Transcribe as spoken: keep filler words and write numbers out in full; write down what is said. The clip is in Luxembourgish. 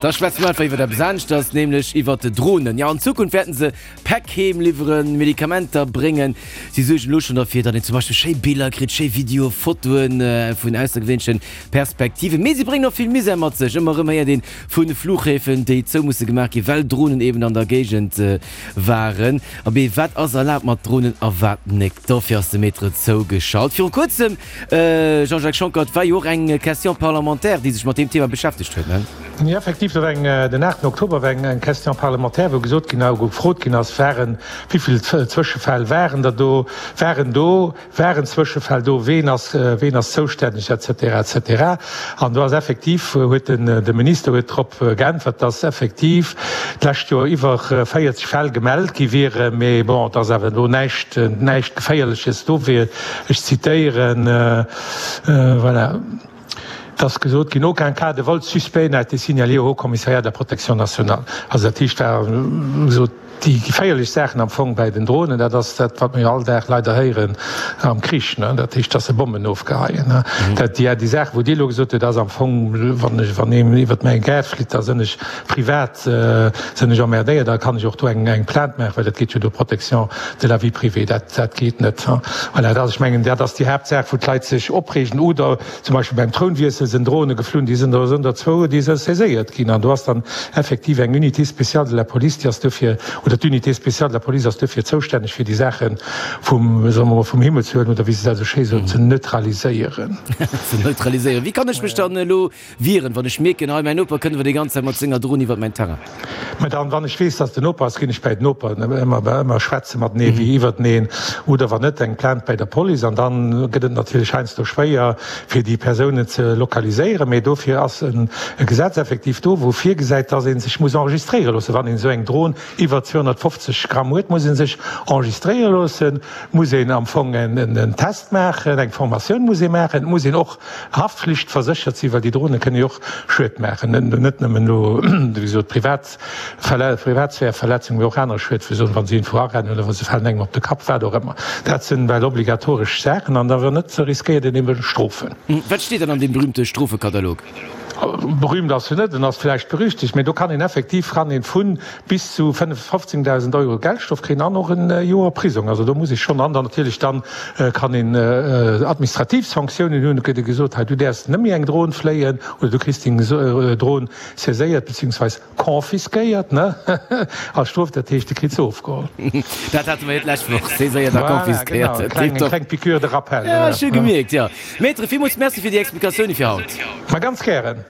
Da schwätze mer einfach iwwer eppes aneschters, nämlech iwwer Dronen. Jo, an Zukunft wäerten se Päck heem liwweren, Medikamenter bréngen. Si suergen elo schonn derfir, datt een zum Beispill schéi Biller kritt, schéi Videoe, Fotoen vun aussergewéinleche Perspektiven. Mee si bréngen och vill Misär mat sech. Ëmmer erëm héiert een vu Fluchhäfen, déi zou musse gemaach ginn, well Dronen eben an der Géigend waren. Abee, wat ass erlaabt mat Dronen a wat net? Dofir ass de Maître zougeschalt. Viru kuerzem, Jean-Jacques Schonckert, war jo och eng Question parlementaire, déi sech mat deem Thema beschäftegt huet, ne? Jo, effektiv, do war eng, den aachten Oktober war eng eng Question parlementaire, wou gesot ginn, wou gefrot ginn ass, waren, wéi vill Zwëschefäll waren der do, waren do, waren Zwëschefäll do, ween ass, ween ass zoustänneg, et cetera, et cetera. An do ass effektiv, huet den, de Minister huet drop geäntwert, dass effektiv d'lescht Joer iwwer véierzeg Fäll gemellt gi wieren, mee bon, dass awer elo näischt, näischt Geféierleches do wier. Ech zitéieren, voilà. Et ass gesot ginn, Aucun cas de vol suspect n'a été signalé au Haut-Commissariat de la Protection nationale. Also dat heescht, war gesot, déi geféierlech Saachen am Fong bäi den Dronen, dat ass dat, wat mir all Dag leider héieren am Krich, ne, dat heescht, dass se Bommen ofgeheien. Dat, déi, déi Saach, wou Dir elo gesot hutt, ass am Fong, wann ech, wann een iwwert mäi Gaart flitt, da sinn ech privat, sinn ech emmerdéiert, da kann ech och do eng, eng Plainte maachen, well dat geet jo do Protection de la vie privée, dat, dat geet net. Voilà, dat ass, ech mengen, dat ass déi Haaptsaach, wou d'Leit sech opreegen. Oder zum Beispill beim Trounwiessel sinn Drone geflunn, déi sinn der sinn der zwou, déi si saiséiert ginn. An do ass dann effektiv eng Unité spéciale de la police, déi ass dofir, oder d'Unité spéciale de la police ass dofir zoustänneg, fir déi Saache vum, soe mer mol, vum Himmel ze huelen oder wéi se dat esou schéi soen, ze neutraliséieren. Ze neutraliséieren. Wéi kann ech mech dann elo wieren, wann ech mierken, hei mäin Noper kënnt awer déi ganz Zäit mat senger Dron iwwert mäin Terrain? Mä dann, wann ech weess, dass den Noper ass, ginn ech bäi den Noper, ëmmer, ëmmer schwätze matenee wéi iwwerteneen, oder wann net, eng Plainte bäi der Police. An dann gëtt et natierlech heiansdo schwéier, fir déi Persounen ze lokaliséieren. Mee dofir ass e Gesetz effektiv do, wou virgesäit, dass ee sech muss enregistréiere loossen. Wann een esou eng Dron iwwer zweehonnertfofzeg Gramm huet, muss ee sech enregistréiere loossen, muss een am Fong en Test maachen, eng Formatioun muss ee maachen, et muss een och haftflichtverséchert sinn, well déi Drone kënne jo och Schued maachen, net nëmmen elo, wéi gesot, privat Privatsphäreverletzung, mee och aner Schued, wéi soen, wa se iergendwou arennen oder wa se falen engem op de Kapp, wat och ëmmer. Dat sinn well obligatoresch Saachen an da wann net, riskéiert een ebe Strofen. Wat steet dann an deem berühmte Strofekatalog? Berühmt ass en net, en ass vläicht berüchtegt, mee do kann een effektiv kann een vu bis zu fofzéngdausend Euro Geldstrof kréien an och e Joer Prisong. Also do muss ee schonn, an dann natierlech dann kann een administrativ Sanktiounen hunn, et gëtt ee gesot, hei du däerfs net méi eng Dron fléien oder du kriss deng Dron saiséiert beziehungsweis confisquéiert, ne, als Strof, dat heescht, de kritt se ofgeholl. Dat hate mer jo d'lescht Woch, saiséiert a confisquéiert. Voilà, genau, eng kleng Piqûre de rappel. Ja, ech hu gemierkt, jo. Maître, villmools Merci fir déi Explikatioune fir haut. Ma ganz gären.